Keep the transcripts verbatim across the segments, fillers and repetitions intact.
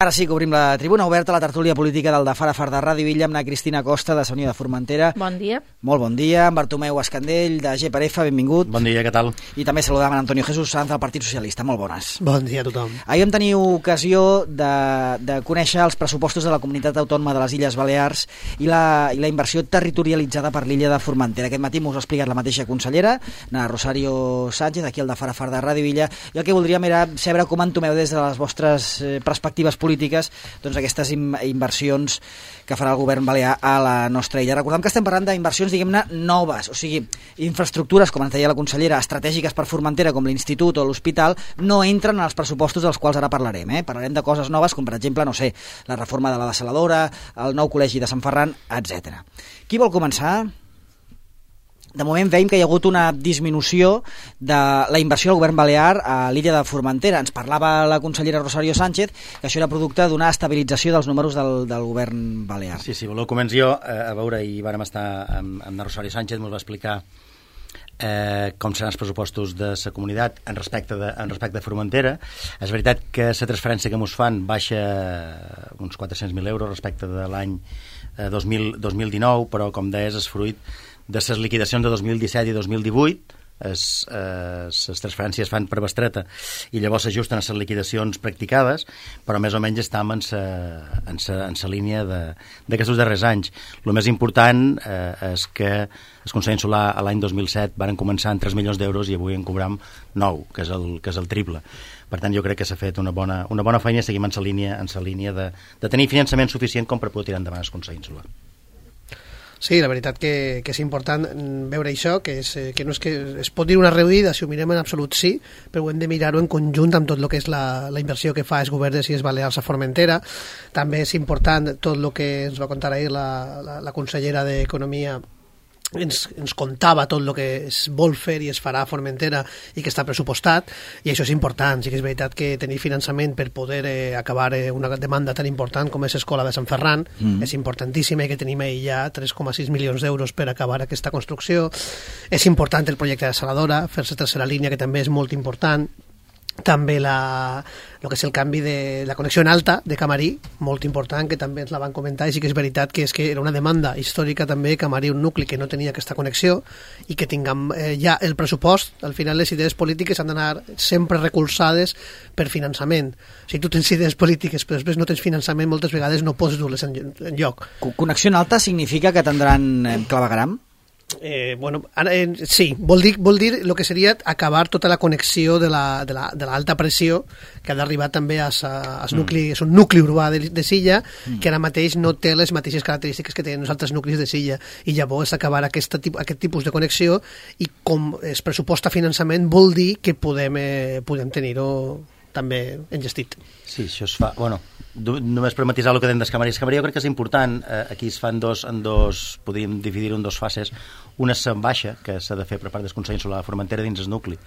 Ara sí que obrim la tribuna oberta a la tertúlia política del de Fara Far de Ràdio Villa amb la Cristina Costa de Unió de Formentera. Bon dia. Molt bon dia. En Bartomeu Escandell de G per F, benvingut. Bon dia, què tal? I també saludam en Antonio Jesús Sanz del Partit Socialista. Molt bones. Bon dia a tothom. Ahir vam tenir ocasió de, de conèixer els pressupostos de la Comunitat Autònoma de les Illes Balears i la, i la inversió territorialitzada per l'illa de Formentera. Aquest matí m'ho ha explicat la mateixa consellera, na Rosario Sánchez, aquí al de Fara Far de Ràdio Villa, i el que voldríem era saber com entomeu des de les vostres eh, perspectives polítiques doncs aquestes inversions que farà el govern balear a la nostra illa. Recordem que estem parlant d'inversions, diguem-ne, noves, o sigui, infraestructures, com ens deia la consellera, estratègiques per Formentera, com l'institut o l'hospital, no entren en els pressupostos dels quals ara parlarem. Eh? Parlarem de coses noves, com per exemple, no sé, la reforma de la dessaladora, el nou col·legi de Sant Ferran, etcètera. Qui vol començar? De moment veiem que hi ha hagut una disminució de la inversió del govern balear a l'illa de Formentera. Ens parlava la consellera Rosario Sánchez que això era producte d'una estabilització dels números del, del govern balear. Sí, sí, voleu començar jo eh, a veure, i vàrem estar amb, amb la Rosario Sánchez, ens va explicar eh, com seran els pressupostos de la comunitat en respecte de, en respecte de Formentera. És veritat que la transferència que ens fan baixa uns quatre-cents mil euros respecte de l'any eh, dos mil dinou, però com deies és fruit de les liquidacions de dos mil disset i dos mil divuit. Les eh, transferències fan per bestreta i llavors s'ajusten a les liquidacions practicades, però més o menys estem en sa, en sa, en sa línia d'aquests darrers anys. El més important eh, és que el Consell Insular l'any dos mil set van començar amb tres milions d'euros i avui en cobram nou, que és el, que és el triple. Per tant, jo crec que s'ha fet una bona, una bona feina i seguim en sa línia, en sa línia de, de tenir finançament suficient com per poder tirar endavant el Consell Insular. Sí, la veritat que, que és important veure això, que, és, que no és que es pot dir una reduïda, si ho mirem en absolut sí, però hem de mirar-ho en conjunt amb tot el que és la, la inversió que fa el govern de les Illes Balears a Formentera. També és important tot el que ens va contar ahir la, la, la consellera d'Economia, ens, ens contava tot el que es vol fer i es farà a Formentera i que està pressupostat, i això és important. Sí que és veritat que tenir finançament per poder eh, acabar eh, una demanda tan important com és l'escola de Sant Ferran mm. és importantíssima, i que tenim ahir ja tres coma sis milions d'euros per acabar aquesta construcció. És important el projecte de dessaladora, fer-se tercera línia, que també és molt important. També la, el que és el canvi de la connexió en alta de Camarí, molt important, que també ens la van comentar, i sí que és veritat que és que era una demanda històrica també, Camarí, un nucli que no tenia aquesta connexió, i que tinguem eh, ja el pressupost. Al final les idees polítiques han d'anar sempre recolzades per finançament. Si tu tens idees polítiques però després no tens finançament, moltes vegades no pots dur-les en, en lloc. Connexió en alta significa que tindran eh, clavegaram? Eh, bueno, eh, sí, vol dir, vol dir el que seria acabar tota la connexió de la, de la, de l'alta pressió que ha d'arribar també a, a, a mm. nucli, és un nucli urbà de, de Silla, mm. que ara mateix no té les mateixes característiques que tenen els altres nuclis de Silla, i llavors acabar aquesta, aquest tipus de connexió, i com es pressuposta finançament vol dir que podem, eh, podem tenir-ho també engestit. Sí, això es fa... Bueno, només per matisar el que dèiem d'Escamarí. Escamarí jo crec que és important. Eh, aquí es fan dos, en dos, podríem dividir-ho en dos fases. Una és en baixa, que s'ha de fer per part del Consell Insular de Formentera dins el nucli,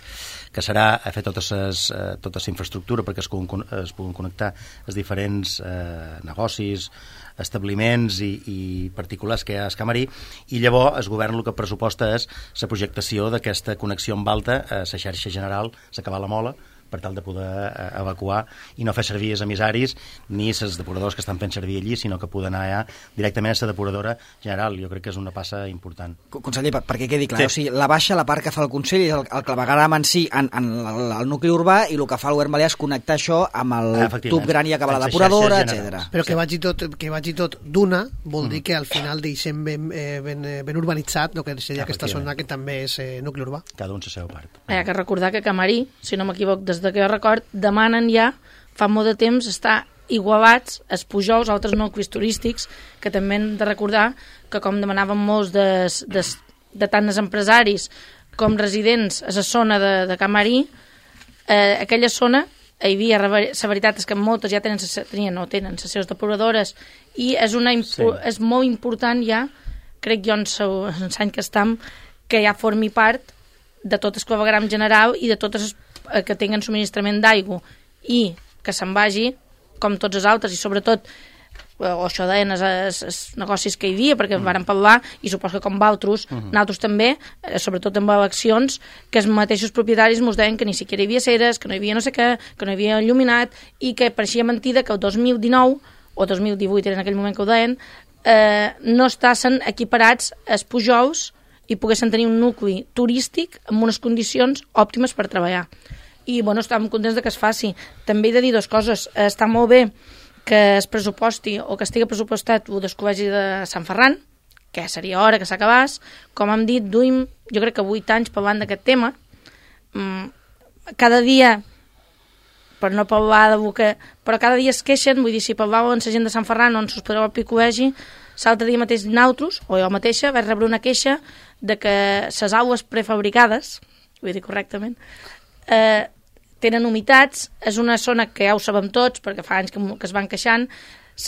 que serà a fer totes les, eh, tota la infraestructura perquè es puguin, es puguin connectar els diferents eh, negocis, establiments i, i particulars que hi ha a Escamarí, i llavors el govern el que pressuposta és la projectació d'aquesta connexió amb alta a la xarxa general, s'acabar la Mola, per tal de poder eh, evacuar i no fer servir els emissaris ni els depuradors que estan fent servir allí, sinó que poden anar ja directament a la depuradora general. Jo crec que és una passa important. Conseller, per, perquè quedi clar, sí. O sigui, la baixa, la part que fa el Consell, és el, el clavegaram en si en, en el, el nucli urbà, i el que fa el govern balear és connectar això amb el tub gran i acabar la depuradora, etcètera. Però que vagi tot, que vagi tot d'una vol mm. dir que al final deixem ben, eh, ben, ben urbanitzat el que seria aquesta zona que també és eh, nucli urbà. Cada un la seva part. Hi ha que recordar que Camarí, si no m'equivoc, des de que jo record, demanen ja, fa molt de temps, estar igualats els Pujols, altres nuclis turístics, que també hem de recordar que, com demanaven molts de, de, de tant els empresaris com residents a la zona de, de Camarí, eh, aquella zona hi havia, la veritat és que moltes ja tenen, tenien, no tenen les seves depuradores, i és, una, sí. és molt important ja, crec jo en l'any que estem, que ja formi part de tot el clavegaram general i de totes les que tinguen subministrament d'aigua, i que se'n vagi com tots els altres, i sobretot o això deien els, els, els negocis que hi havia, perquè mm. varen parlar, i supos que com valtros, mm -hmm. nosaltres també, eh, sobretot amb eleccions, que els mateixos propietaris ens deien que ni siquiera hi havia ceres, que no hi havia no sé què, que no hi havia il·luminat, i que pareixia mentida que el dos mil dinou, o dos mil divuit era en aquell moment que ho deien, eh, no estaven equiparats els pujols i poguessin tenir un nucli turístic amb unes condicions òptimes per treballar. I, bueno, estàvem contents de que es faci. També he de dir dues coses. Està molt bé que es pressuposti o que estigui pressupostat el del Col·legi de Sant Ferran, que seria hora que s'acabés. Com hem dit, duim, jo crec que vuit anys parlant d'aquest tema. Cada dia, per no parlar de boca, però cada dia es queixen, vull dir, si parlàveu amb la gent de Sant Ferran o en sus podeu al Col·legi, l'altre dia mateix nosaltres, o jo mateixa, vaig rebre una queixa de que les aules prefabricades, vull dir correctament, eh, tenen humitats, és una zona que ja ho sabem tots, perquè fa anys que, que es van queixant,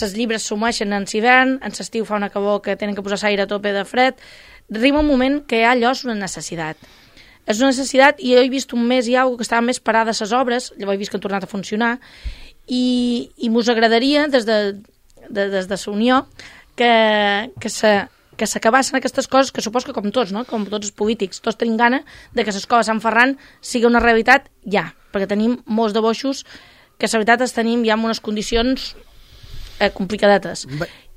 les llibres s'humeixen en l'hivern, en l'estiu fa una calor que tenen que posar l'aire a tope de fred, arriba un moment que ja allò és una necessitat. És una necessitat, i jo he vist un mes i alguna que estaven més parades les obres, llavors he vist que han tornat a funcionar, i, i mos agradaria, des de, de, des de la Unió, que, que se que s'acabassin aquestes coses, que supos que com tots, no? Com tots els polítics, tots tenim gana de que l'escola Sant Ferran sigui una realitat ja, perquè tenim molts de boixos que la veritat els tenim ja en unes condicions eh, complicadetes.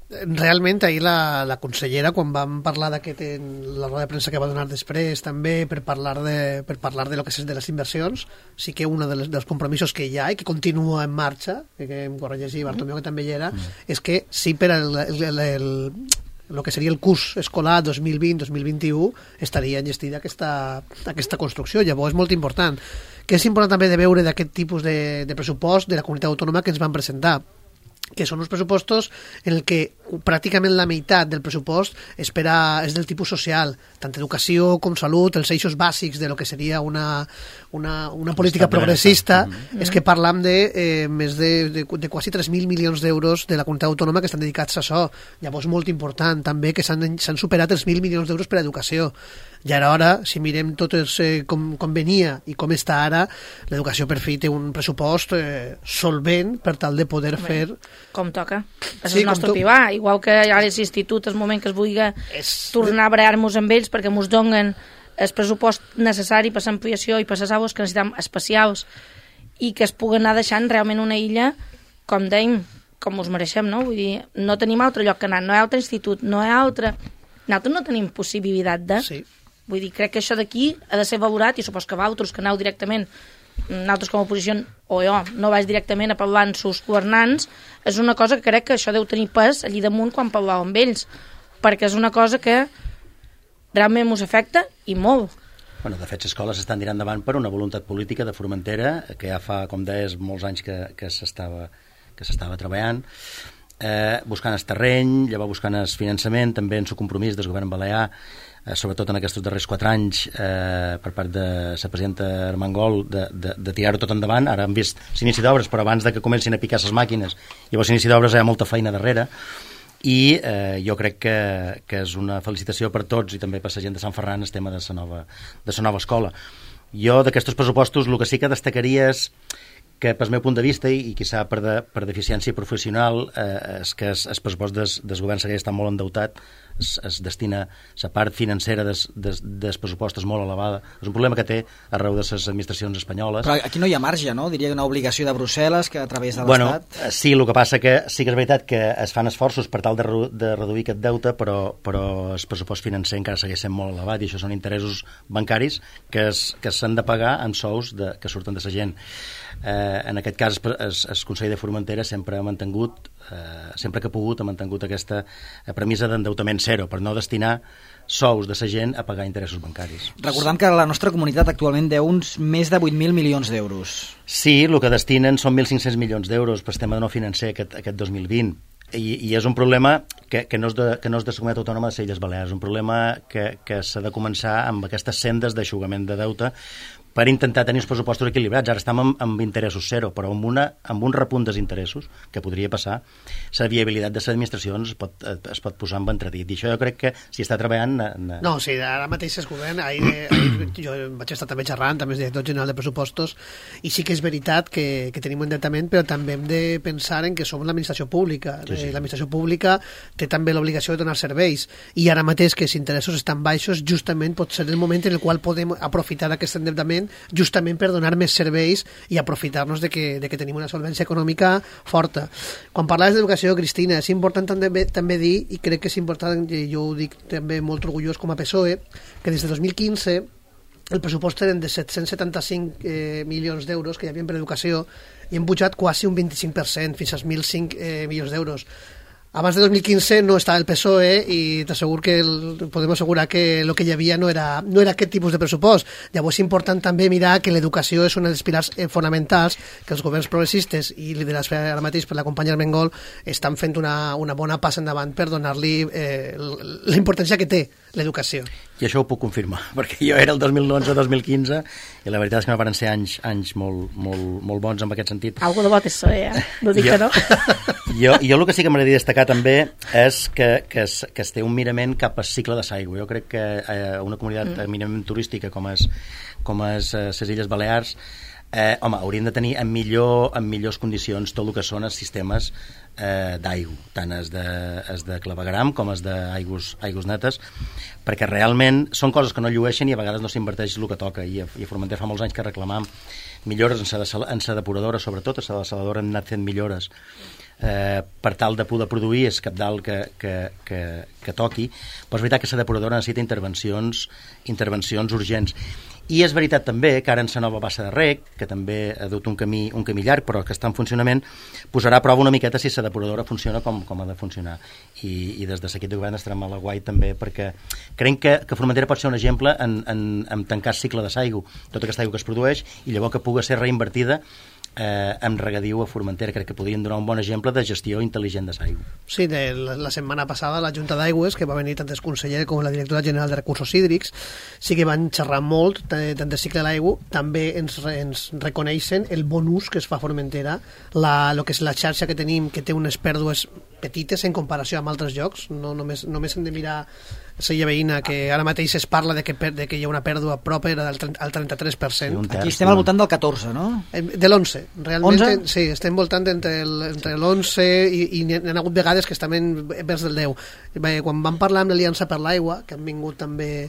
Realment, ahir la, la consellera, quan vam parlar d'aquest en la roda de premsa que va donar després, també per parlar de, per parlar de lo que és de les inversions, sí que un de dels compromisos que hi ha i que continua en marxa, que em corregeixi Bartomeu, que també hi era, mm. és que sí per el, el, el, el el que seria el curs escolar dos mil vint dos mil vint-i-u estaria enllestida aquesta, aquesta construcció. Llavors és molt important. Que és important també de veure d'aquest tipus de, de pressupost de la comunitat autònoma que ens van presentar, que són uns pressupostos en el que pràcticament la meitat del pressupost és, per a, és del tipus social, tant educació com salut, els eixos bàsics de lo que seria una, una, una política progressista. Mm-hmm. És que parlam de eh, més de, de, de quasi tres mil milions d'euros de la comunitat autònoma que estan dedicats a això. Llavors, molt important també que s'han superat els mil milions d'euros per a educació. I ara, ara, si mirem tot els, eh, com, com venia i com està ara, l'educació per fi té un pressupost eh, solvent per tal de poder Bé, fer... Com toca. És sí, el nostre tu... pivar. Igual que ara és l'institut, és el moment que es vulgui és... tornar a barallar-nos amb ells perquè ens donen el pressupost necessari per l'ampliació i per les aules que necessitem especials i que es puguen anar deixant realment una illa, com dèiem, com us mereixem, no? Vull dir, no tenim altre lloc que anar, no hi ha altre institut, no hi ha altre... Nosaltres no tenim possibilitat de... Sí. Vull dir, crec que això d'aquí ha de ser valorat i supos que vosaltres que aneu directament, nosaltres com a oposició, o jo, no vaig directament a parlar amb sus governants, és una cosa que crec que això deu tenir pes allí damunt quan parlàveu amb ells, perquè és una cosa que realment ens afecta i molt. Bueno, de fet, les escoles estan tirant endavant per una voluntat política de Formentera, que ja fa, com deies, molts anys que, que s'estava que s'estava treballant, eh, buscant el terreny, llavors buscant el finançament, també en el compromís del govern balear, eh, sobretot en aquests darrers quatre anys, eh, per part de la presidenta Armengol, de, de, de tirar-ho tot endavant. Ara hem vist l'inici d'obres, però abans de que comencin a picar les màquines, llavors l'inici d'obres hi ha molta feina darrere, i eh, jo crec que, que és una felicitació per tots i també per la gent de Sant Ferran el tema de la nova, de la nova escola. Jo d'aquests pressupostos el que sí que destacaria és que, pel meu punt de vista, i, i quizà per, de, per deficiència professional, eh, és que el pressupost des, des govern segueix estant molt endeutat, es, es destina la part financera des, des, des pressupostos molt elevada. És un problema que té arreu de les administracions espanyoles. Però aquí no hi ha marge, no? Diria una obligació de Brussel·les que a través de bueno, l'Estat... Sí, el que passa que sí que és veritat que es fan esforços per tal de, de reduir aquest deute, però, però el pressupost financer encara segueix sent molt elevat i això són interessos bancaris que s'han de pagar amb sous de, que surten de la gent. Eh, en aquest cas el Consell de Formentera sempre ha mantingut eh, sempre que ha pogut ha mantingut aquesta premissa d'endeutament zero per no destinar sous de la gent a pagar interessos bancaris. Recordem que la nostra comunitat actualment deu uns més de vuit mil milions d'euros. Sí, el que destinen són mil cinc-cents milions d'euros per sistema no financer aquest, aquest dos mil vint. I, i és un problema que, que, no és de, que no és de la comunitat autònoma de les Illes Balears, és un problema que, que s'ha de començar amb aquestes sendes d'aixugament de deute, per intentar tenir els pressupostos equilibrats. Ara estem amb, amb interessos zero, però amb, una, amb un repunt dels interessos que podria passar, la viabilitat de les administracions es pot, es pot posar en entredit. I això jo crec que si està treballant... Na... No, sí, ara mateix es govern, ahir, ahir jo vaig estar també xerrant, també és director general de pressupostos, i sí que és veritat que, que tenim un endeutament, però també hem de pensar en que som l'administració pública. Sí, sí. L'administració pública té també l'obligació de donar serveis, i ara mateix que els interessos estan baixos, justament pot ser el moment en el qual podem aprofitar aquest endeutament justament per donar més serveis i aprofitar-nos de que, de que tenim una solvència econòmica forta. Quan parlaves d'educació, Cristina, és important també, també dir, i crec que és important, i jo ho dic també molt orgullós com a P S O E, que des de dos mil quinze el pressupost eren de set-cents setanta-cinc eh, milions d'euros que hi havia per educació i hem pujat quasi un vint-i-cinc per cent, fins als mil cinc eh, milions d'euros. Abans de dos mil quinze no estava el P S O E i t'assegur que el, podem assegurar que el que hi havia no era, no era aquest tipus de pressupost. Llavors és important també mirar que l'educació és un dels pilars fonamentals que els governs progressistes i liderats ara mateix per la companya Armengol estan fent una, una bona passa endavant per donar-li eh, la importància que té l'educació. I això ho puc confirmar, perquè jo era el dos mil onze dos mil quinze i la veritat és que no van ser anys, anys molt, molt, molt bons en aquest sentit. Algo de bo P S O E, eh? No dic jo, que no. Jo, jo el que sí que m'agradaria destacar també és que, que, es, que es té un mirament cap al cicle de l'aigua. Jo crec que eh, una comunitat mm. eminentment turística com és, com és eh, les Illes Balears, eh, home, haurien de tenir en, millor, en millors condicions tot el que són els sistemes eh, d'aigua, tant els de, es de clavegram com els d'aigües aigües netes, perquè realment són coses que no llueixen i a vegades no s'inverteix el que toca, i a, i a Formentera fa molts anys que reclamam millores en la depuradora, sobretot a la desaladora hem anat fent millores eh, per tal de poder produir és cabdal que, que, que, que toqui, però és veritat que la depuradora necessita intervencions intervencions urgents. I és veritat també que ara en la nova bassa de rec, que també ha dut un camí, un camí llarg, però que està en funcionament, posarà a prova una miqueta si la depuradora funciona com, com ha de funcionar. I, i des de l'equip de govern estarem a la guai també, perquè creiem que, que Formentera pot ser un exemple en, en, en tancar el cicle de l'aigua, tota aquesta aigua que es produeix, i llavors que pugui ser reinvertida eh, amb regadiu a Formentera. Crec que podrien donar un bon exemple de gestió intel·ligent de l'aigua. Sí, de la, la setmana passada la Junta d'Aigües, que va venir tant el conseller com la directora general de Recursos Hídrics, sí que van xerrar molt tant de cicle de l'aigua, també ens, ens reconeixen el bon ús que es fa a Formentera, la, lo que és la xarxa que tenim, que té unes pèrdues petites en comparació amb altres llocs, no, només, només hem de mirar la Illa Veïna, que ara mateix es parla de que, de que hi ha una pèrdua propera del al trenta-tres per cent. Sí, aquí estem al voltant del catorze, no? De l'onze. Realment, onze? sí, estem voltant entre l'onze i, i n'hi ha hagut vegades que estem vers del deu. Bé, quan vam parlar amb l'Aliança per l'Aigua, que han vingut també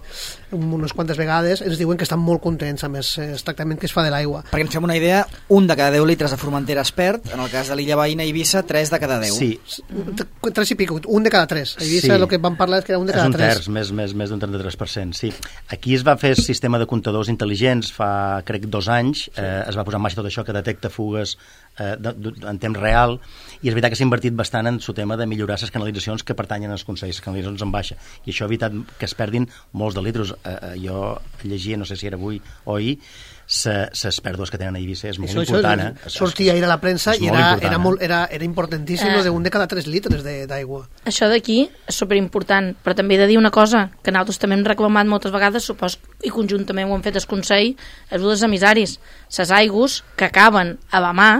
unes quantes vegades, ens diuen que estan molt contents amb el tractament que es fa de l'aigua. Perquè ens fem una idea, un de cada deu litres de Formentera es perd, en el cas de l'Illa Veïna i Eivissa, tres de cada deu. Sí. Tres i pico, un de cada tres. A Eivissa sí. El que vam parlar és que era un de cada és un tres. Terç, més, més, més d'un trenta-tres per cent, sí. Aquí es va fer el sistema de comptadors intel·ligents fa, crec, dos anys, sí. eh, es va posar en marxa tot això que detecta fugues eh, de, de, en temps real, i és veritat que s'ha invertit bastant en el tema de millorar les canalitzacions que pertanyen als consells, les canalitzacions en baixa, i això ha evitat que es perdin molts de litros. Eh, eh, jo llegia, no sé si era avui o ahir, les pèrdues que tenen a Eivissa és molt això, important. Això, eh? sortia ahir a la premsa i era, important, era, eh? molt, era, era importantíssim eh. d'un de cada tres litres d'aigua. Això d'aquí és superimportant, però també he de dir una cosa, que nosaltres també hem reclamat moltes vegades, supos, i conjuntament ho hem fet el Consell, és dels emissaris. Les aigües que acaben a la mà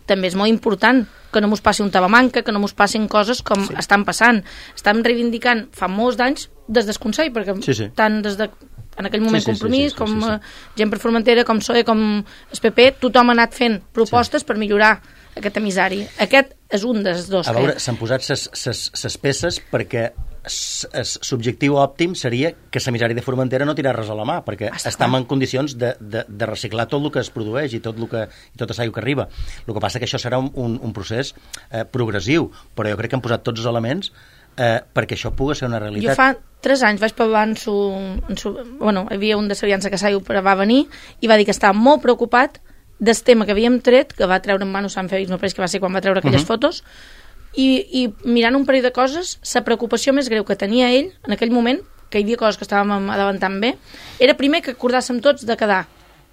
també és molt important, que no mos passi un tabamanca, que no mos passin coses com sí. estan passant. Estem reivindicant fa molts d'anys des del Consell, perquè sí, sí. tant des de en aquell moment sí, sí, Compromís, sí, sí, com sí, sí. gent per Formentera, com P S O E, com el P P, tothom ha anat fent propostes sí. per millorar aquest emissari. Aquest és un dels dos. A veure, que... s'han posat ses peces perquè el subjectiu òptim seria que l'emissari de Formentera no tirés res a la mà, perquè Està estem clar. en condicions de, de, de reciclar tot el que es produeix i tot el que, i tota l'aigua que arriba. El que passa que això serà un, un, un procés eh, progressiu, però jo crec que han posat tots els elements eh, perquè això pugui ser una realitat. Jo fa tres anys vaig parlar en su, en su, bueno, hi havia un de l'Aliança que s'aigua va venir i va dir que estava molt preocupat del tema que havíem tret, que va treure en mano Sant Fèlix, no pareix que va ser quan va treure aquelles uh -huh. fotos, i, i mirant un parell de coses, la preocupació més greu que tenia ell en aquell moment, que hi havia coses que estàvem adavantant bé, era primer que acordàssim tots de quedar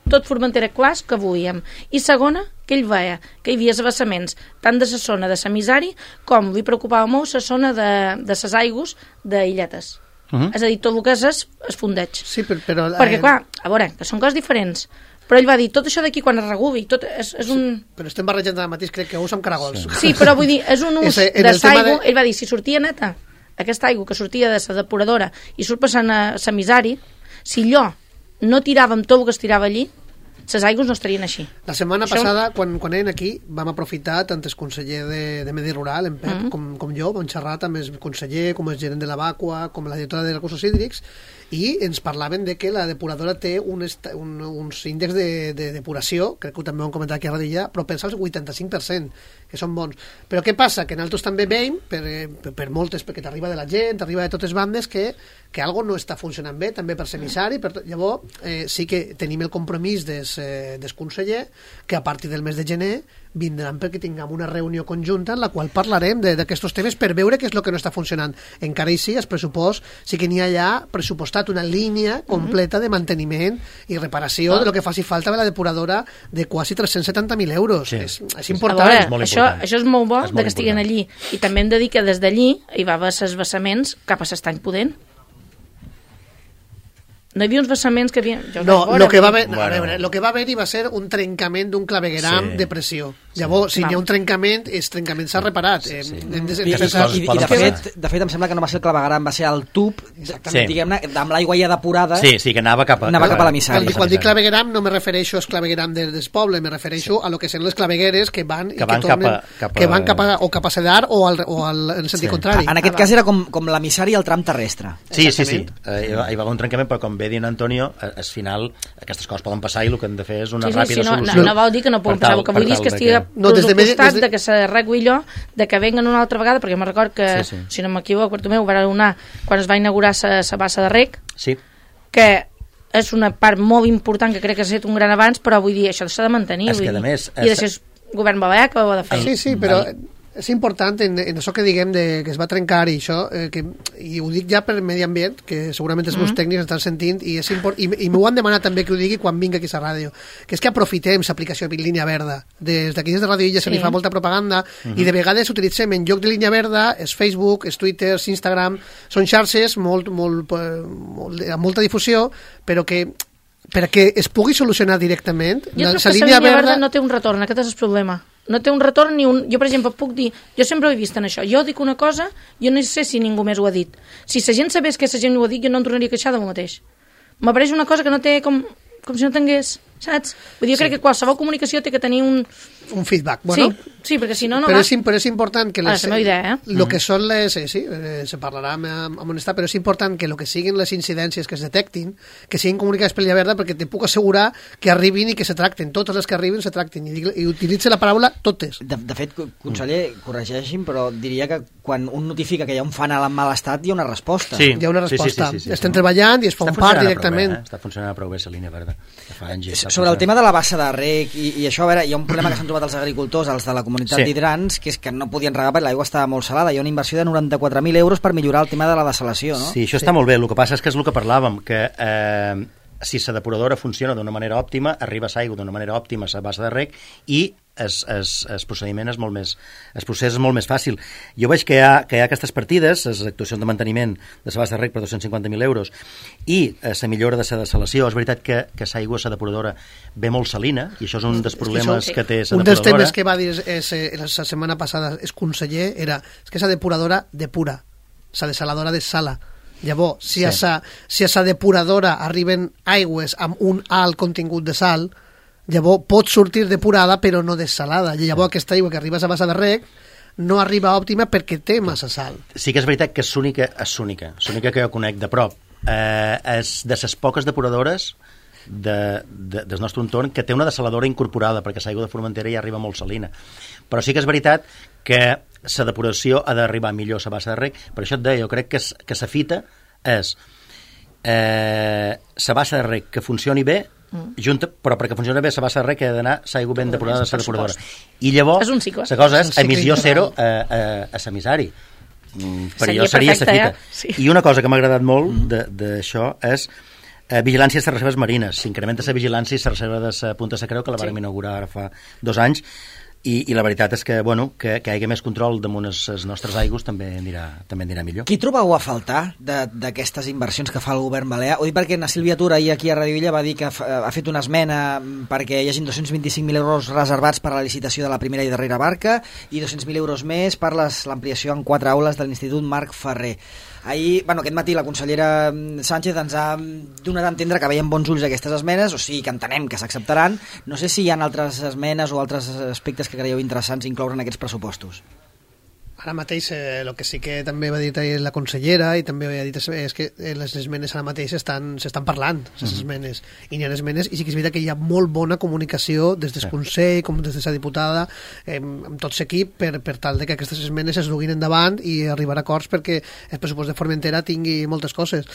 tot Formentera clars que volíem, i segona, que ell veia que hi havia abassaments tant de la zona de l'emissari com li preocupava molt la zona de, de les aigües d'Illetes. Uh-huh. És a dir, tot el que és es, es fundeig. Sí, però... però Perquè, clar, a veure, que són coses diferents, però ell va dir, tot això d'aquí quan es reguli, tot és, és un... Sí, però estem barrejant ara mateix, crec que us amb caragols. Sí, però vull dir, és un ús Ese, de l'aigua, de... ell va dir, si sortia neta, aquesta aigua que sortia de la depuradora i surt passant a Samisari, si allò no tiràvem tot el que es tirava allí, les aigües no estarien així. La setmana Això... passada, quan, quan eren aquí, vam aprofitar, tant el conseller de, de Medi Rural, en Pep, mm -hmm. com, com jo, vam xerrar amb el conseller, com el gerent de la Vacua, com la directora de recursos hídrics, i ens parlaven de que la depuradora té un est, un, uns índexs de, de depuració, crec que també ho hem comentat aquí a Radilla, però pensa el vuitanta-cinc per cent, que són bons. Però què passa? Que nosaltres també veiem, per, per, per moltes, perquè t'arriba de la gent, t'arriba de totes bandes, que, que algo no està funcionant bé, també per semissari, per tot. Llavors eh, sí que tenim el compromís des, eh, des conseller, que a partir del mes de gener vindran perquè tinguem una reunió conjunta en la qual parlarem d'aquests temes per veure què és el que no està funcionant. Encara així, el pressupost sí que n'hi ha ja pressupostat una línia completa de manteniment i reparació ah. de lo que faci falta de la depuradora de quasi tres-cents setanta mil euros. Sí. És, és important. Veure, és molt això, important. això és molt bo és de que estiguin allí. I també hem de dir que des d'allí hi va haver els vessaments cap a l'estany Pudent. No hi havia uns vessaments que havien... Jo no, veure, lo que va haver, bueno. a veure, lo que va haver-hi va ser un trencament d'un clavegueram sí. de pressió. Llavors, si Val. hi ha un trencament, el trencament s'ha reparat. Sí, sí. Eh, hem de, I, i, i, i, i de, fet, de fet em sembla que no va ser el clavegueram, va ser el tub, sí. diguem-ne, amb l'aigua ja depurada. Sí, sí, que anava cap a, anava cap a Quan, l'emissari. quan dic clavegueram no me refereixo al clavegueram del, del poble, me refereixo sí. a lo que són les clavegueres que van, que i van que tornen, cap a, cap a... que van cap a, o cap a Cedar o, al, o al, en sentit sí. contrari. En aquest cas era com, com l'emissari al tram terrestre. Sí, sí, sí. Eh, hi va haver un trencament, però com bé diu Antonio, al final aquestes coses poden passar i el que hem de fer és una sí, sí, ràpida sí, no, solució. No, no vol dir que no puguin passar, el que vull dir és que estigui no, des de, pressupostat des de... de que s'arregui allò, de que venguen una altra vegada, perquè me'n record que, sí, sí. si no m'equivoco, Bartomeu ho va donar quan es va inaugurar la bassa de rec, sí. que és una part molt important que crec que s'ha fet un gran avanç, però vull dir, això s'ha de mantenir. És vull que, dir, a més... I de ser govern balear que ho ha de fer. Sí, sí, però... és important en, en això que diguem de, que es va trencar i això, eh, que, i ho dic ja per medi ambient, que segurament els meus mm -hmm. tècnics estan sentint, i, és import, i, i m'ho han demanat també que ho digui quan vinc aquí a la ràdio, que és que aprofitem l'aplicació línia verda. Des d'aquí des de Ràdio Illa sí. se li fa molta propaganda, mm -hmm. i de vegades utilitzem en lloc de línia verda és Facebook, és Twitter, és Instagram, són xarxes molt, molt, molt, amb molta difusió, però que perquè es pugui solucionar directament. Jo crec que la línia verda... verda no té un retorn, aquest és el problema. No té un retorn ni un... Jo, per exemple, puc dir... Jo sempre ho he vist en això. Jo dic una cosa, jo no sé si ningú més ho ha dit. Si la gent sabés que la gent ho ha dit, jo no em tornaria a queixar de mi mateix. M'apareix una cosa que no té com... com si no tingués... Saps? Vull dir, jo sí. crec que qualsevol comunicació té que tenir un... un feedback, bueno. Sí, sí, perquè si no, no però va. És, però és important que... Les, ah, és la meva idea, eh? Lo que són les... Eh, sí, eh, se parlarà amb, amb honestat, però és important que el que siguin les incidències que es detectin, que siguin comunicades per Línia Verda, perquè te puc assegurar que arribin i que se tracten. Totes les que arribin se tracten. I, i utilitza la paraula totes. De, de fet, conseller, corregeixin, però diria que quan un notifica que hi ha un fanal en mal estat, hi ha una resposta. Sí. Hi ha una resposta. Sí, sí, sí, sí, sí. Estem treballant i es fa un part directament. Bé, eh? Està funcionant prou bé la Línia Verda. Fa anys, sobre el tema de la bassa de rec i, i això, a veure, hi ha un problema que s'han trobat els agricultors, els de la comunitat sí. d'Hidrans, que és que no podien regar perquè l'aigua estava molt salada. Hi ha una inversió de noranta-quatre mil euros per millorar el tema de la dessalació, no? Sí, això està sí. molt bé. El que passa és que és el que parlàvem, que eh, si la depuradora funciona d'una manera òptima, arriba l'aigua d'una manera òptima a la bassa de rec i es, es, es procediment és molt més, el procés és molt més fàcil. Jo veig que hi ha, que hi ha aquestes partides, les actuacions de manteniment de la bassa de rec per dos-cents cinquanta mil euros i la eh, millora de la dessalació. És veritat que, que l'aigua, la depuradora, ve molt salina i això és un dels problemes que, que té la depuradora. Un dels temes que va dir és, és, la setmana passada el conseller era és que la depuradora depura, la desaladora desala. Llavors, si, sí. a sa, si a sa depuradora arriben aigües amb un alt contingut de sal, llavors pot sortir depurada però no dessalada. I llavors aquesta aigua que arriba a la bassa de rec no arriba òptima perquè té massa sal. Sí que és veritat que és l'única, és l'única, l'única que jo conec de prop. Eh, és de les poques depuradores de, de, del nostre entorn que té una desaladora incorporada, perquè l'aigua de Formentera ja arriba molt salina. Però sí que és veritat que la depuració ha d'arribar millor a la bassa de rec. Per això et deia, jo crec que, que la fita és eh, la bassa de rec que funcioni bé, mm. junta, però perquè funcioni bé la bassa de rec ha d'anar l'aigua ben depurada de la depuradora. I llavors, la cosa és emissió zero a, a, a l'emissari. Mm, per allò seria la fita. Ja? Sí. I una cosa que m'ha agradat molt mm. d'això és eh, vigilància de les reserves marines. S'incrementa la vigilància i la reserva de la Punta de la Creu, que la vàrem sí. inaugurar ara fa dos anys, I, i la veritat és que, bueno, que, que hi hagi més control damunt els, els nostres aigües també anirà, també anirà millor. Qui trobeu a faltar d'aquestes inversions que fa el govern balear? Ho dic perquè na Sílvia Tura ahir aquí a Radio Illa va dir que ha, ha fet una esmena perquè hi hagi dos-cents vint-i-cinc mil euros reservats per a la licitació de la primera i darrera barca i dos-cents mil euros més per l'ampliació en quatre aules de l'Institut Marc Ferrer. Ahir, bueno, aquest matí la consellera Sánchez ens ha donat a entendre que veiem bons ulls aquestes esmenes, o sigui que entenem que s'acceptaran. No sé si hi ha altres esmenes o altres aspectes que creieu interessants incloure en aquests pressupostos. Ara mateix eh, el que sí que també va dir la consellera i també ha dit és que les esmenes ara mateix s'estan parlant, les mm-hmm. esmenes, i n'hi ha esmenes, i sí que és veritat que hi ha molt bona comunicació des del sí. Consell com des de la diputada eh, amb tot l'equip per, per tal de que aquestes esmenes es duguin endavant i arribar a acords perquè el pressupost de Formentera tingui moltes coses.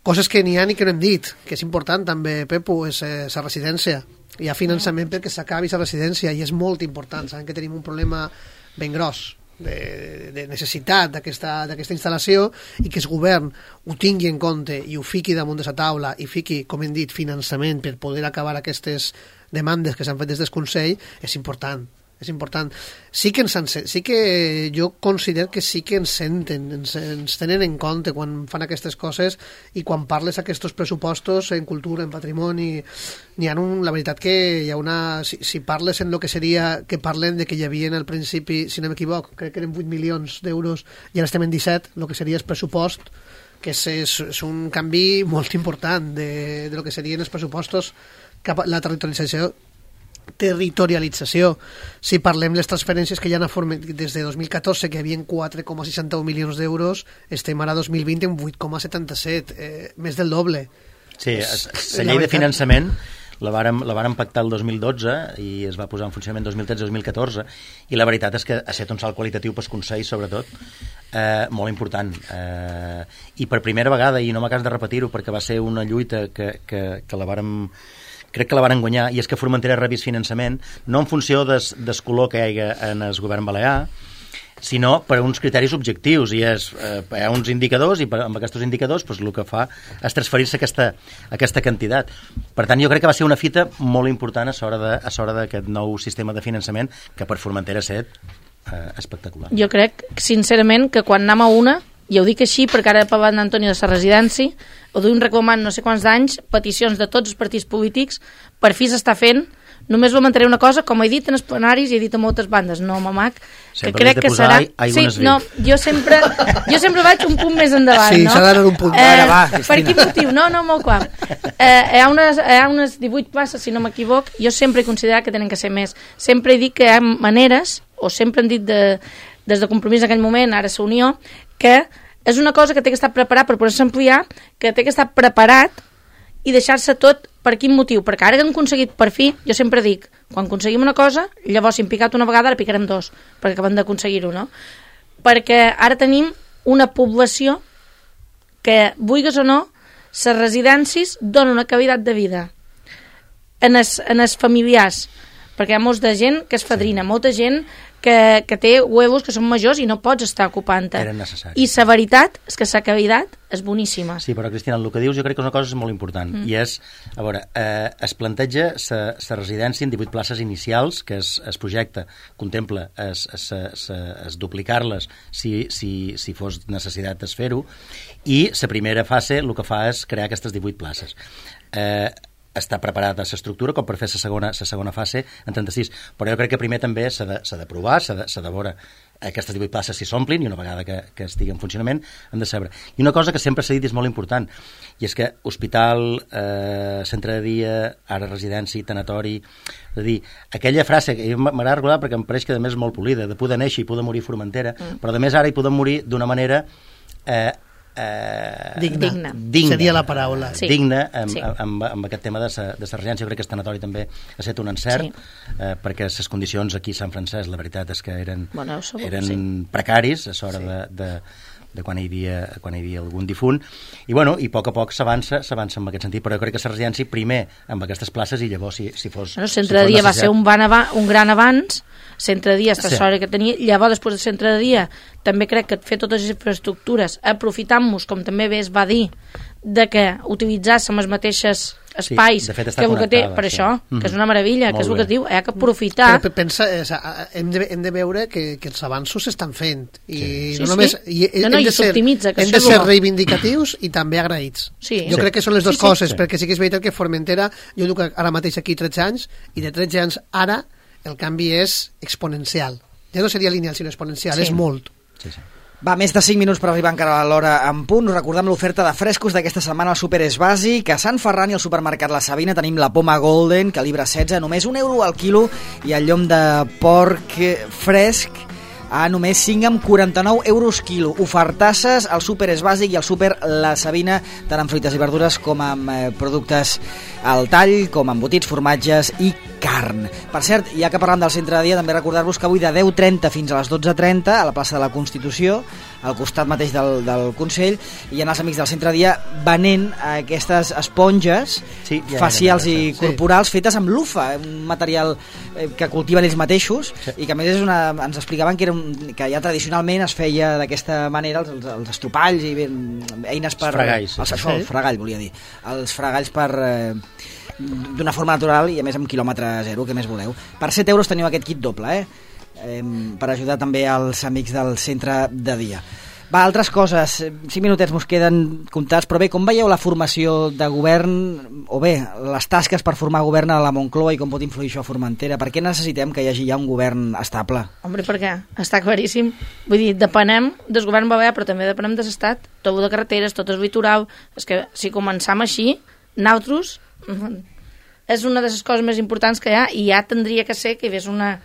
Coses que n'hi ha i que no hem dit, que és important també, Pepu, és la eh, residència. Hi ha finançament perquè s'acabi la residència i és molt important. Sabem que tenim un problema ben gros de, de necessitat d'aquesta instal·lació i que el govern ho tingui en compte i ho fiqui damunt de la taula i fiqui, com hem dit, finançament per poder acabar aquestes demandes que s'han fet des del Consell és important. És important. Sí que, ens, sí que jo considero que sí que ens senten, ens, ens tenen en compte quan fan aquestes coses i quan parles aquests pressupostos en cultura, en patrimoni, n'hi ha un, la veritat que hi ha una... Si, si parles en el que seria, que parlen de que hi havia al principi, si no m'equivoc, crec que eren vuit milions d'euros i ara estem en disset, el que seria el pressupost, que és, és, és un canvi molt important de, de lo que serien els pressupostos cap a la territorialització territorialització. Si parlem les transferències que hi ha a Formentera des de dos mil catorze, que hi havia quatre coma seixanta-un milions d'euros, estem ara dos mil vint en vuit coma setanta-set, eh, més del doble. Sí, la llei de finançament la vàrem, la vàrem pactar el dos mil dotze i es va posar en funcionament dos mil tretze dos mil catorze i la veritat és que ha estat un salt qualitatiu pel Consell, sobretot, eh, molt important. Eh, I per primera vegada, i no m'acabes de repetir-ho perquè va ser una lluita que, que, que la vàrem... crec que la van guanyar, i és que Formentera rebis finançament no en funció des, des color que hi ha en el govern balear, sinó per uns criteris objectius, i és, eh, hi ha uns indicadors, i per, amb aquests indicadors pues, el que fa és transferir-se aquesta, aquesta quantitat. Per tant, jo crec que va ser una fita molt important a l'hora d'aquest nou sistema de finançament, que per Formentera ha estat eh, espectacular. Jo crec, sincerament, que quan anem a una, i ho dic així perquè ara he parlat d'Antonio de la residència, ho duim reclamant no sé quants anys, peticions de tots els partits polítics, per fi s'està fent. Només lamentaré una cosa, com he dit en els plenaris i he dit a moltes bandes, no, mamac, que sempre crec que serà... Sí, no, jo sempre, jo sempre vaig un punt més endavant, sí, no? Sí, s'ha d'anar un punt. Eh, Ara va, per quin motiu? No, no, molt clar. Eh, hi, ha unes, hi ha unes divuit places, si no m'equivoc, jo sempre he considerat que tenen que ser més. Sempre he dit que hi ha maneres, o sempre hem dit de, des de Compromís en aquell moment, ara la Unió, que és una cosa que té que estar preparat per poder-se ampliar, que té que estar preparat i deixar-se tot. Per quin motiu? Perquè ara que hem aconseguit per fi, jo sempre dic, quan aconseguim una cosa, llavors si hem picat una vegada, ara picarem dos, perquè acabem d'aconseguir-ho, no? Perquè ara tenim una població que, vulguis o no, les residències donen una qualitat de vida en els, en els familiars, perquè hi ha molta gent que és fadrina, molta gent que, que té huevos que són majors i no pots estar ocupant-te. Eren necessaris. I la veritat és que la qualitat és boníssima. Sí, però Cristina, el que dius jo crec que és una cosa molt important, mm. i és, a veure, eh, es planteja la residència en divuit places inicials, que es, es projecta, contempla es, es, es, es duplicar-les si, si, si fos necessitat de fer-ho, i la primera fase el que fa és crear aquestes divuit places. Eh, està preparada l'estructura com per fer la segona, la segona fase en trenta-sis, però jo crec que primer també s'ha de, s'ha de provar, s'ha de, s'ha de veure aquestes divuit places si s'omplin, i una vegada que, que estigui en funcionament hem de saber. I una cosa que sempre s'ha dit és molt important, i és que hospital, eh, centre de dia, ara residència, tanatori, és a dir, aquella frase que m'agrada recordar perquè em pareix que a més és molt polida, de poder néixer i poder morir a Formentera, mm. però a més ara hi podem morir d'una manera eh, Eh, digna. digna seria la paraula sí. digna amb, sí. amb, amb aquest tema de la residència. Jo crec que el tanatori també ha estat un encert, sí. eh, perquè les condicions aquí a Sant Francesc la veritat és que eren, bueno, sabut, eren sí. precaris a l'hora sí. de, de, de quan hi havia, quan hi havia algun difunt, i bueno, i a poc a poc s'avança s'avança en aquest sentit, però jo crec que la residència primer amb aquestes places, i llavors si, si fos el centre si de dia va ser un, van ava- un gran abans. Centre de dia, aquesta sí. sort que tenia, llavors després del centre de dia també crec que fer totes les infraestructures aprofitant-nos, com també bé es va dir, de que utilitzar les mateixes espais, sí, fet, que el que té per sí. això, mm. que és una meravella, Molt que és el bé. que diu, hi ha que aprofitar. Però pensa, és, hem, de, hem de veure que, que els avanços s'estan fent i sí. no sí, només sí. i, no, no, hem de ser, que hem de ser reivindicatius i també agraïts. Sí. Jo sí. crec que són les dues sí, sí. coses, sí. perquè sí que és veritat que Formentera, jo duc ara mateix aquí tretze anys i de tretze anys ara el canvi és exponencial. Ja no seria lineal, sinó exponencial, Sí. és molt. Sí, sí. Va, més de cinc minuts per arribar encara a l'hora en punt. Us recordem l'oferta de frescos d'aquesta setmana al Super És Bàsic. A Sant Ferran i al supermercat La Sabina tenim la poma Golden, calibre setze, només un euro al quilo, i el llom de porc fresc a només cinc amb quaranta-nou euros quilo. Ofertasses al Super És Bàsic i al Super La Sabina, tant amb fruites i verdures com amb eh, productes al tall, com amb embotits, formatges i carn. Per cert, ja que parlam del centre de dia, també recordar-vos que avui de deu trenta fins a les dotze trenta a la plaça de la Constitució, al costat mateix del, del Consell, hi ha els amics del centre de dia venent aquestes esponges Sí, ja, facials ja, ja, ja, i sí. corporals fetes amb lufa, un material eh, que cultiven ells mateixos, Sí. i que a més és una, ens explicaven que, era un, que ja tradicionalment es feia d'aquesta manera els, els, els estropalls i ben, eines per... Els fregalls, sí. Els, això, el fregall, volia dir. Els fregalls per... Eh, d'una forma natural i a més amb quilòmetre zero, que més voleu. Per set euros teniu aquest kit doble, eh? eh per ajudar també als amics del centre de dia. Va, altres coses, cinc minutets mos queden comptats, però bé, com veieu la formació de govern, o bé, les tasques per formar govern a la Moncloa i com pot influir això a Formentera? Per què necessitem que hi hagi ja un govern estable? Hombre, per què? Està claríssim. Vull dir, depenem del govern Balear, però també depenem de l'estat. Tot de carreteres, tot el litoral. És que si començam així, nosaltres... és una de les coses més importants que hi ha, i ja tindria que ser que hi hagués una,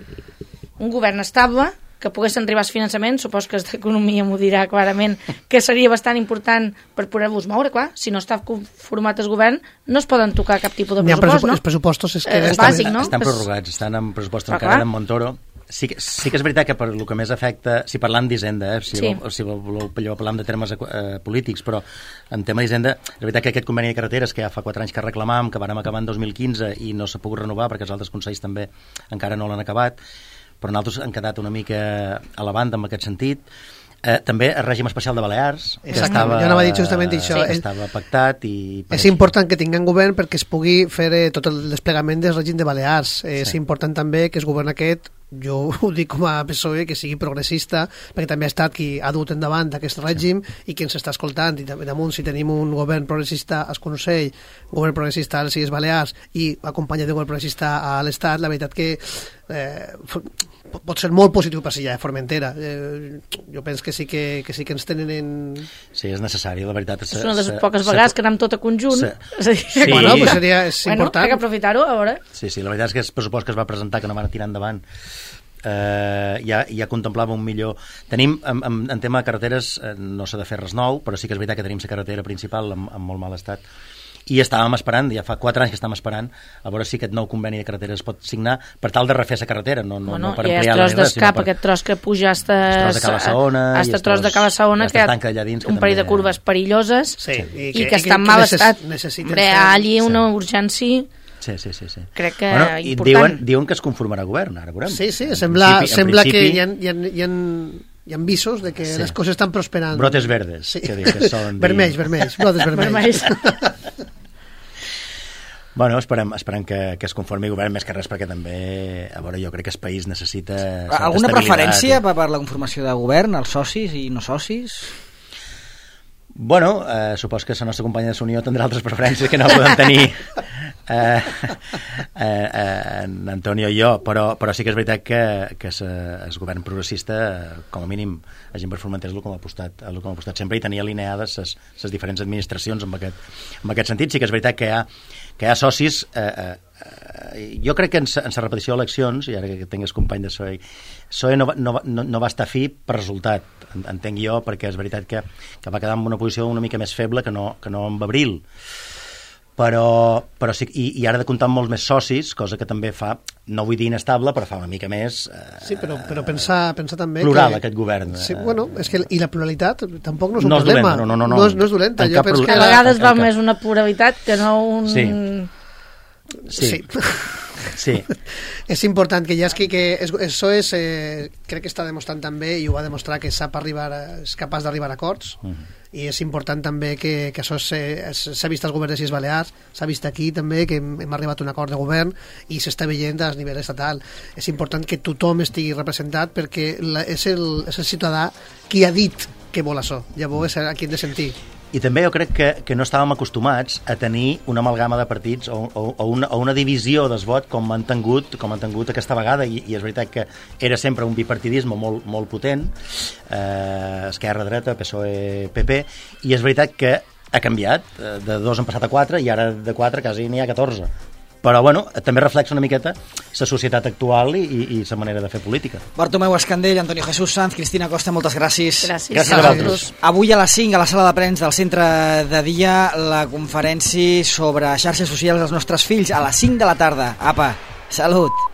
un govern estable, que poguessin arribar als finançaments. Supos que d'economia m'ho dirà clarament, que seria bastant important per poder-vos moure, clar. Si no està format el govern, no es poden tocar cap tipus de pressupost, no? Els pressupostos és que Eh, és estan, bàsic, no? Estan Pues- prorrogats, estan en pressupost Però encara clar. en Montoro. Sí que, sí que és veritat que per el que més afecta, si parlant d'Hisenda, eh, si, Sí. vol, si voleu parlar de termes eh, polítics, però en tema d'Hisenda, és veritat que aquest conveni de carreteres que ja fa quatre anys que reclamàvem, que vàrem acabar en dos mil quinze i no s'ha pogut renovar perquè els altres consells també encara no l'han acabat, però nosaltres hem quedat una mica a la banda en aquest sentit. Eh, també el règim especial de Balears, que Exacte, estava, jo anava a dir justament això. que Sí. estava pactat i... És important que tinguem govern perquè es pugui fer eh, tot el desplegament del règim de Balears. Eh, sí. És important també que el govern aquest, jo ho dic com a P S O E, que sigui progressista, perquè també ha estat qui ha dut endavant aquest règim i qui ens està escoltant, i també damunt si tenim un govern progressista al Consell, un govern progressista a les Illes Balears i acompanyat d'un govern progressista a l'Estat, la veritat que eh, pot ser molt positiu per si ja Formentera. Eh, jo penso que sí que, que sí que ens tenen en... Sí, és necessari, la veritat. És una de les poques vegades que anem tot a conjunt. Sí. És a dir, Sí. Bueno, pues seria, és bueno, important. hay que aprofitar-ho, a veure. Sí, sí, la veritat és que el pressupost que es va presentar, que no van tirar endavant, eh, ja, ja contemplava un millor... Tenim, en, en, en tema de carreteres, eh, no s'ha de fer res nou, però sí que és veritat que tenim la carretera principal en, en molt mal estat. I estàvem esperant, ja fa quatre anys que estàvem esperant, a veure si aquest nou conveni de carreteres es pot signar per tal de refer la carretera, no, no, Bueno, no per i ampliar el tros d'escap, per... aquest tros que puja hasta... El tros de Cala Saona i hasta el tros de Cala Saona, tros- que hi ha tanca allà dins, que un parell de també- curves perilloses Sí, i que, que està en mal necess- estat. necessiten Hombre, fer- allí una Sí. urgència, Sí, sí, sí, sí. crec que bueno, i important. diuen, diuen que es conformarà govern, ara veurem. Sí, sí, En sembla, principi- en sembla principi, que hi ha, hi, ha, hi, ha, hi ha visos de que Sí. les coses estan prosperant. Brotes verdes, Sí. que, diu que són... Vermells, vermells, brotes vermells. Vermells. Bueno, esperem, esperem que, que es conformi govern, més que res perquè també, a veure, jo crec que el país necessita certa Alguna estabilitat. preferència per, per la conformació de govern, els socis i no socis? Bueno, eh, supos que la nostra companya de Unió tindrà altres preferències que no podem tenir eh, eh, eh, en Antonio i jo, però, però sí que és veritat que, que el govern progressista, com a mínim, la gent per Formentera és el que m'ha apostat, el que m'ha apostat sempre i tenia alineades les diferents administracions en aquest, en aquest sentit. Sí que és veritat que hi ha, que hi ha socis... Eh, eh, eh, jo crec que en la repetició d'eleccions, i ara que tinc el company de P S O E, P S O E no, va- no, va- no, no va estar fi per resultat, en- entenc jo, perquè és veritat que, que va quedar en una posició una mica més feble que no, que no amb Abril. Però, però sí, i, i ara de comptar amb molts més socis, cosa que també fa, no vull dir inestable, però fa una mica més... Eh, Sí, però, però pensar, pensar també plural, que... aquest govern. Sí, bueno, és que i la pluralitat tampoc no és un No és problema. dolenta, no, no, no. No és, no és dolenta. En Jo cap penso pro- que A la- vegades va en cap- més una pluralitat que no un... Sí. Sí. Sí. Sí. És important que hi hagi que això és, eh, crec que està demostrant també, i ho va demostrar, que sap arribar a, és capaç d'arribar a acords, uh -huh. i és important també que, que això s'ha vist als governs de les Illes Balears, s'ha vist aquí també que hem, hem arribat a un acord de govern i s'està veient a nivell estatal. És important que tothom estigui representat perquè la, és, el, és el ciutadà qui ha dit que vol això, llavors és a qui hem de sentir. I també jo crec que, que no estàvem acostumats a tenir una amalgama de partits o, o, o, una, o una divisió del vot com han tingut, com han tingut aquesta vegada, i, i és veritat que era sempre un bipartidisme molt, molt potent, eh, esquerra, dreta, P S O E, P P, i és veritat que ha canviat, de dos han passat a quatre i ara de quatre quasi n'hi ha catorze. Però, bueno, també reflexa una miqueta la societat actual i, i la manera de fer política. Bartomeu Escandell, Antonio Jesús Sanz, Cristina Costa, moltes gràcies. Gràcies. Gràcies a vosaltres. Avui a les cinc, a la sala de premsa del Centre de Dia, la conferència sobre xarxes socials dels nostres fills, a les cinc de la tarda. Apa, salut!